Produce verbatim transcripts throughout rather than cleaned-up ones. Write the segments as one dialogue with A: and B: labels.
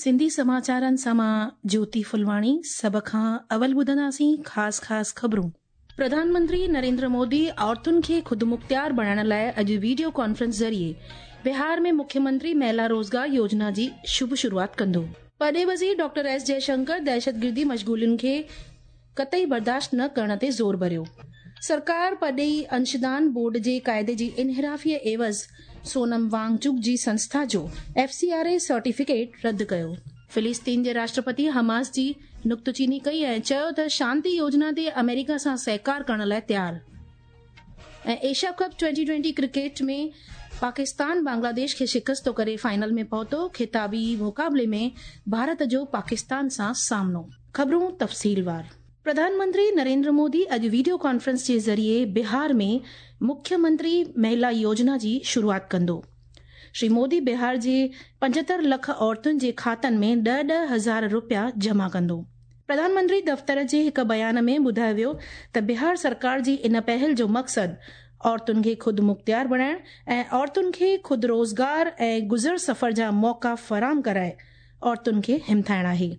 A: सिंधी समाचारनि सां मां ज्योति फुलवाणी। सभ खां अवल ॿुधंदासीं ख़ासि ख़ासि ख़बरूं। प्रधानमंत्री नरेंद्र मोदी औरतुनि खे ख़ुदमुख़्तियार बणाइण लाइ अॼु वीडियो कॉन्फ्रेंस ज़रिए बिहार में मुख्यमंत्री महिला रोज़गार योजना जी शुभ शुरूआत कंदो। परॾेही वज़ीर डॉक्टर एस जयशंकर दहशतगिर्दी मशगूलियुनि खे कतई बर्दाश्त न करण ते ज़ोर भरियो। सरकार परॾेही अंशदान बोर्ड जे क़ाइदे जी इनहिराफ़ीअ एवज़ सोनम वांगचुक जी संस्था जो F C R A certificate रद्द कयो। फ़िलिस्तीन जे राष्ट्रपति हमास जी नुक्तचीनी कई ऐं चयो त शांति योजना ते अमेरिका सां सहकार करण लाइ तयार। ऐं Asia cup twenty twenty cricket में पाकिस्तान बांग्लादेश खे शिकस्तो करे फाइनल में पहुतो। ख़िताबी मुक़ाबले में भारत जो पाकिस्तान सां सामनो। ख़बरूं तफ़सीलवार। प्रधानमंत्री नरेंद्र मोदी अॼु वीडियो कॉन्फ्रेंस जे ज़रिए बिहार में मुख्यमंत्री महिला योजना जी शुरूआत कंदो। श्री मोदी बिहार जे पंजहतरि लख औरतुनि जे खातनि में ॾह ॾह हज़ार रुपया जमा कंदो। प्रधानमंत्री दफ़्तर जे हिकु बयान में ॿुधायो वियो त बिहार सरकार जी इन पहल जो मक़सदु औरतुनि खे ख़ुदि मुख़्तियार बणाइण ऐं औरतुनि खे ख़ुदि रोज़गार ऐं गुज़र सफ़र जा मौक़ा फराहम कराए औरतुनि खे हिमथाइण आहे।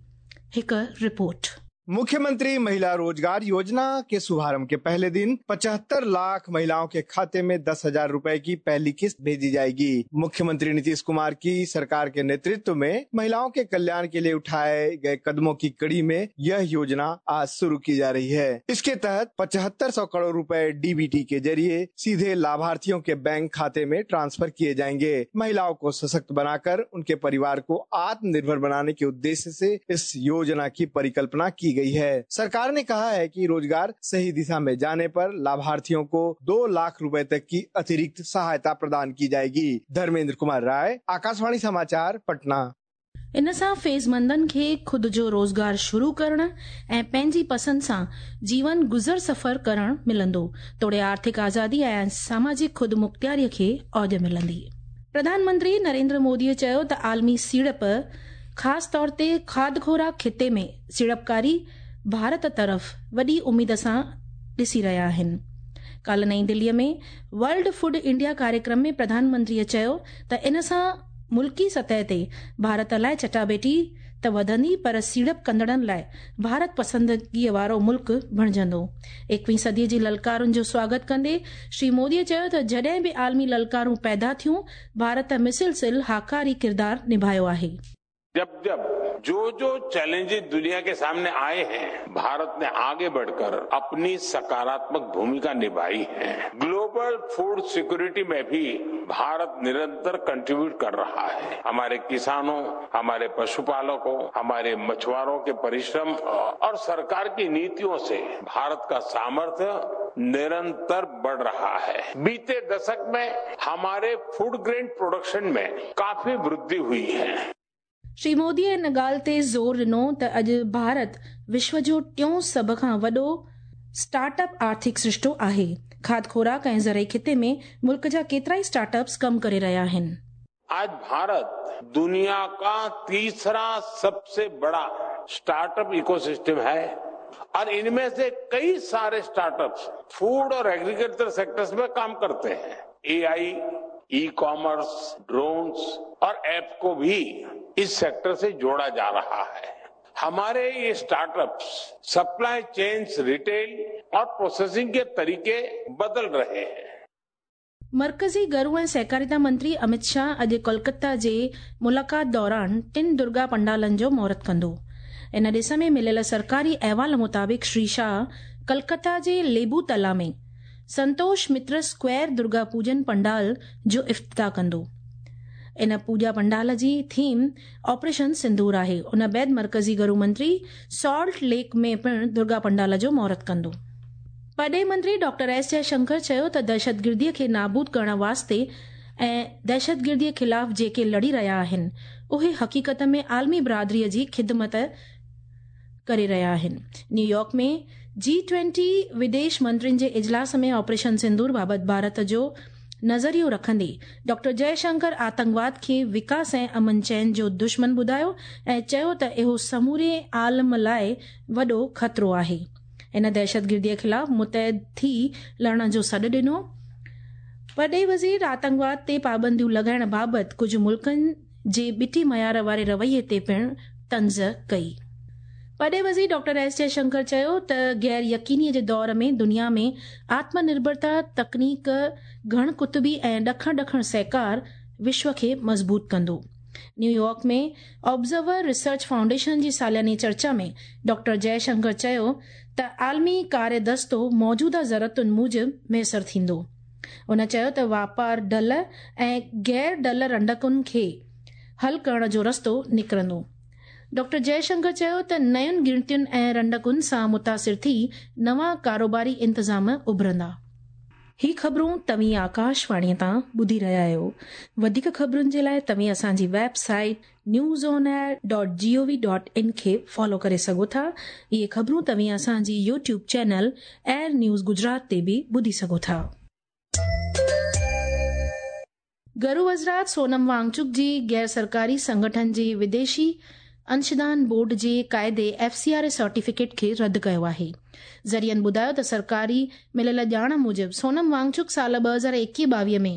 A: हिकु रिपोर्ट।
B: मुख्यमंत्री महिला रोजगार योजना के शुभारंभ के पहले दिन पचहत्तर लाख महिलाओं के खाते में दस हजार रूपए की पहली किस्त भेजी जाएगी। मुख्यमंत्री नीतीश कुमार की सरकार के नेतृत्व में महिलाओं के कल्याण के लिए उठाए गए कदमों की कड़ी में यह योजना आज शुरू की जा रही है। इसके तहत पचहत्तर सौ करोड़ रुपए डीबीटी के जरिए सीधे लाभार्थियों के बैंक खाते में ट्रांसफर किए जाएंगे। महिलाओं को सशक्त बनाकर उनके परिवार को आत्मनिर्भर बनाने के उद्देश्य से इस योजना की परिकल्पना की गई है। सरकार ने कहा है कि रोजगार सही दिशा में जाने पर लाभार्थियों को दो लाख रुपए तक की अतिरिक्त सहायता प्रदान की जाएगी। धर्मेंद्र कुमार राय, आकाशवाणी समाचार, पटना।
A: इन सां फ़ैज़मंदनि खे ख़ुदि जो रोज़गार शुरू करण ऐं पंहिंजी पसंदि सां जीवन गुज़र सफ़र करण मिलंदो, तोड़े आर्थिक आज़ादी ऐं सामाजिक ख़ुदि मुख़्तियारीअ खे औज मिलंदी। प्रधानमंत्री नरेंद्र मोदीअ चयो त आलमी सीड़प ख़ासि तौर ते खाद खुराक ख़िते में सीड़पकारी भारत तरफ़ वॾी उमेद सां ॾिसी रहिया आहिनि। काल्ह नई दिल्लीअ में वर्ल्ड फूड इंडिया कार्यक्रम में प्रधानमंत्रीअ चयो त इन सां मुल्की सतह ते भारत लाइ चटाबेटी त वधंदी, पर सीड़प कंदड़नि लाइ भारत पसंदगीअ वारो मुल्क बणिजंदो। एकवीं सदीअ जी ललकारुनि जो स्वागत कंदे श्री मोदीअ चयो त जॾहिं बि आलमी ललकारूं पैदा थियूं, भारत मुसलसिल हाकारी किरदार निभायो आहे।
C: जब जब जो जो चैलेंजेस दुनिया के सामने आए हैं, भारत ने आगे बढ़कर अपनी सकारात्मक भूमिका निभाई है। ग्लोबल फूड सिक्योरिटी में भी भारत निरंतर कंट्रीब्यूट कर रहा है। हमारे किसानों, हमारे पशुपालकों, हमारे मछुआरों के परिश्रम और सरकार की नीतियों से भारत का सामर्थ्य निरंतर बढ़ रहा है। बीते दशक में हमारे फूड ग्रेन प्रोडक्शन में काफी वृद्धि हुई है।
A: श्री मोदीअ इन ॻाल्हि ते ज़ोर ॾिनो त अॼु भारत विश्व जो टियों सभ खां वॾो स्टार्टअप आर्थिक सृष्टो आहे। खाद खुराक ऐं ज़रई ख़िते में मुल्क जा केतिरा ई स्टार्टअप्स कमु करे रहिया आहिनि।
C: आज भारत दुनिया का तीसरा सबसे बड़ा स्टार्टअप इकोसिस्टम है और इनमें से कई सारे स्टार्टअप्स फूड और एग्रीकल्चर सेक्टर्स में काम करते हैं। एआई, ई कॉमर्स, ड्रोन्स और ऐप को भी इस सेक्टर से जोड़ा जा रहा है। हमारे ये स्टार्टअप्स सप्लाई चेन्स, रिटेल और प्रोसेसिंग के तरीके बदल रहे हैं।
A: मरकज़ी घरू ऐं सहकारिता मंत्री अमित शाह अॼु कोलकाता जे मुलाक़ात दौरान टिनि दुर्गा पंडालनि जो मुहूर्त कंदो। इन ॾिस में मिलियल सरकारी अहवाल मुताबिक़ श्री शाह कलकत्ता जे लेबू तला में संतोष मित्र स्क्वायर दुर्गा पूजन पंडाल जो इफ्तिताह कंदो। इन पूजा पंडाल जी थीम ऑपरेशन सिंदूर आहे। उन बाद मरकज़ी घरू मंत्री सॉल्ट लेक में पिणु दुर्गा पंडाल जो मुहूर्त कंदो। परॾेही मंत्री डॉक्टर एस जयशंकर चयो त दहशतगिर्दीअ खे नाबूद करण वास्ते ऐं दहशतगिर्दीअ ख़िलाफ़ जेके लड़ी रहिया आहिनि, उहे हक़ीक़त में आलमी बिरादरीअ जी ख़िदमत करे रहिया आहिनि। न्यूयॉर्क में जी ट्वेंटी विदेश मंत्रियुनि जे इजलास में ऑपरेशन सिंदूर बाबति भारत जो नज़रियो रखंदे डॉक्टर जयशंकर आतंकवाद खे विकास ऐं अमन चैन जो दुश्मन ॿुधायो ऐं चयो त इहो समूरे आलम लाइ वॾो ख़तरो आहे। इन दहशतगिर्दीअ ख़िलाफ़ मुतहद थी लड़ण जो सॾु ॾिनो। परॾेही वज़ीर आतंकवाद ते पाबंदियूं लॻाइण बाबति कुझु मुल्कनि جي ٻٽي معيار واري رويي تي پڻ طنز ڪئي. وڏي وزير ڊاڪٽر ايس جئشنڪر چيو ته غير يقيني جي دور ۾ دنيا ۾ آتم نرڀرتا، تڪنيڪ، گهڻ قطبي ۽ ڏکڻ ڏکڻ سهڪار وشو کي مضبوط ڪندو. نيويارڪ ۾ آبزرور ريسرچ فائونڊيشن جي سالياني چرچا ۾ ڊاڪٽر جئشنڪر چيو ته عالمي ڪاري دستو موجوده ضرورتن موجب ميسر ٿيندو. هن چيو ته واپار ڍل ۽ غير ڍل رنڊڪن کي حل ڪرڻ جو رستو نڪرندو. ڊاڪٽر جئشنڪر چيو ته نين ڳڻتين ۽ رنڊڪن سان متاثر ٿي نوان ڪاروباري انتظام اڀرندا. هي خبرون توهين آڪاشواڻيءَ تان ٻڌي رهيا آهيو. وڌيڪ خبرن جي لاءِ توهين اسان جي website news on air dot G O V dot in کي فالو ڪري سگهو ٿا. اهي خبرون توهين اسان جي YouTube channel AIR news Gujarat تي به ٻڌي سگهو ٿا. گهرو وزارت سونم وانگچڪ جي غير سرڪاري سنگٺن جي وديشي انشدان بورڊ جي قاعدي F C R A certificate کي رد ڪيو آهي. ذريعن ٻڌايو ته سرڪاري مليل ڄاڻ موجب سونم وانگچڪ سال ٻه هزار ايڪويهه ٻاويهه ۾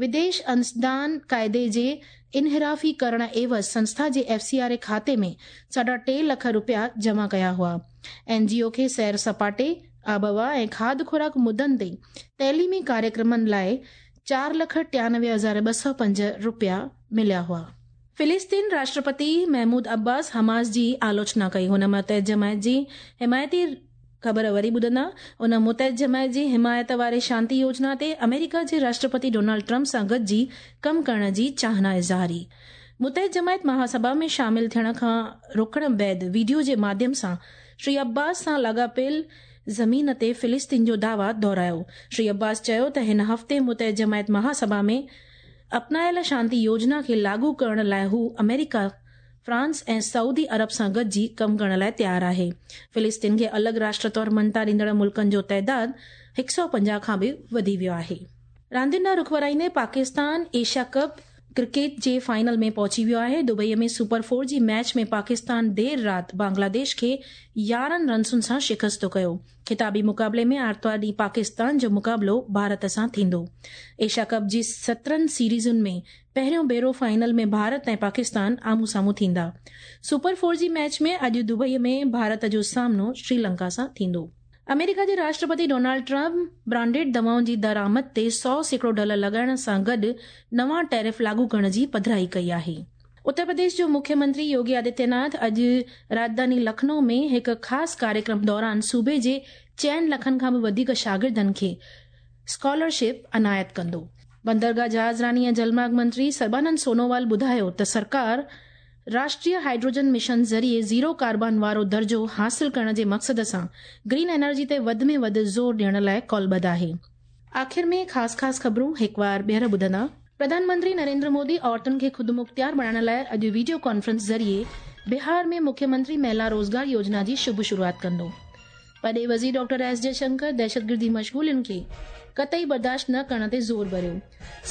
A: وديش انشدان قاعدي جي انحرافي ڪرڻ عيوض سنسٿا جي ايف سي آر اي کاتي ۾ ساڍا ٽي لک رپيا جمع ڪيا هئا. اين جي او کي سير سپاٽي، آبهوا ۽ کاڌ خوراڪ مدن تي تعليمي ڪاريڪرمن لاءِ چار لک ٽيانوي هزار ٻه سؤ پنج رپيا مليا هئا. فلسطين راشٽرپتي محمود عباس حماس جي آلوچنا ڪئي. هن متحد جماعت جي حمايتي خبر وري ٻڌندا. ان متحد جماعت جي حمايت واري شانتي يوجنا تي آمريڪا جي راشٽرپتي ڊونلڊ ٽرمپ سان گڏجي ڪم ڪرڻ جي چاهنا اظهاري. متحد جماعت مهاسڀا ۾ شامل ٿيڻ کان روڪڻ بعد وڊيو جي ماڌيم سان شري عباس سان لاڳاپيل زمين تي فلسطين جو دعويٰ دهرايو. شري عباس چيو ته هن هفتي متحد جماعت مهاسڀا ۾ اپنايل شانتي يوجنا کي لاڳو ڪرڻ لاءِ هو آمريڪا، فرانس ۽ سعودي عرب سان گڏجي ڪم ڪرڻ لاءِ تيار آهي. فلسطين کي الڳ راشٽر طور مڃتا ڏيندڙ ملڪن جو تعداد هڪ سؤ پنجاهه کان به وڌي ويو آهي. راندين ڏانهن رخ ورائيندي پاڪستان ايشيا ڪپ ڪرڪيٽ جي فائنل ۾ پهچي ويو آهي. دبئي ۾ سپر فور جي ميچ ۾ پاڪستان دير رات بنگلاديش کي يارهن رنسن سان شڪست ڪيو. خطابي مقابلي ۾ آرتوار ڏينهن پاڪستان جو مقابلو ڀارت سان ٿيندو. ايشيا ڪپ جي سترهن سيريزن ۾ پهريون ڀيرو فائنل ۾ ڀارت ۽ پاڪستان آمهون سامهون ٿيندا. سپر فور جي ميچ ۾ اڄ دبئي ۾ ڀارت جو سامنو شري لنڪا سان ٿيندو. آمريڪا جي راشٽرپتي ڊونلڊ ٽرمپ برانڊيڊ دوائن جي درآمد تي سؤ سيڪڙو ڍل لڳائڻ سان گڏ نوان ٽيرف لاڳو ڪرڻ جي پڌرائي ڪئي آهي. اتر پرديش جو مکيه منتري يوگي آدتيه ناٿ اڄ راڄڌاني لکنؤ ۾ هڪ خاص ڪاريڪرم دوران صوبي جي چئن لکن کان به وڌيڪ شاگردن کي اسڪالرشپ عنايت ڪندو. بندرگاهه جهاز راني ۽ جلمارگ منتري سربانند سونووال ٻڌايو ته سرڪار راشٽريه هائيڊروجن مشن ذريعي زيرو ڪاربان وارو درجو حاصل ڪرڻ جي مقصد سان گرين انرجي تي وڌ ۾ وڌ زور ڏيڻ لاءِ ڪالبڌ آهي. آخر ۾ خاص خاص خبرون هڪ بار ٻيهر ٻڌندا. پرڌان منتري نريندر مودي عورتن کي خود مختيار بڻائڻ لاءِ اڄ وڊيو ڪانفرنس ذريعي بهار ۾ مکيه منتري مهلا روزگار يوجنا جي شڀ شروعات ڪندو. وڏي وزير ڊاڪٽر ايس جئشنڪر دهشتگردي مشغولين کي قطعي برداشت نه ڪرڻ تي زور ڀريو.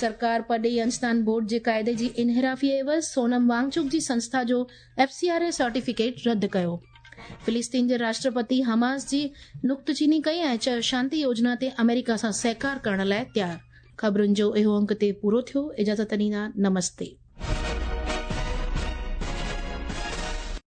A: سرڪار پرڏيهي انشدان بورڊ جي قاعدي جي انحرافي عيوض سونم وانگچڪ جي سنسٿا جو F C R A certificate رد ڪيو. فلسطين جي راشٽرپتي حماس جي نڪتچيني ڪئي ۽ چيو شانتي يوجنا تي آمريڪا سان سهڪار ڪرڻ لاءِ تيار. خبرن جو اهو انڪ تي پورو ٿيو. اجازت ڏيندا. نمستي.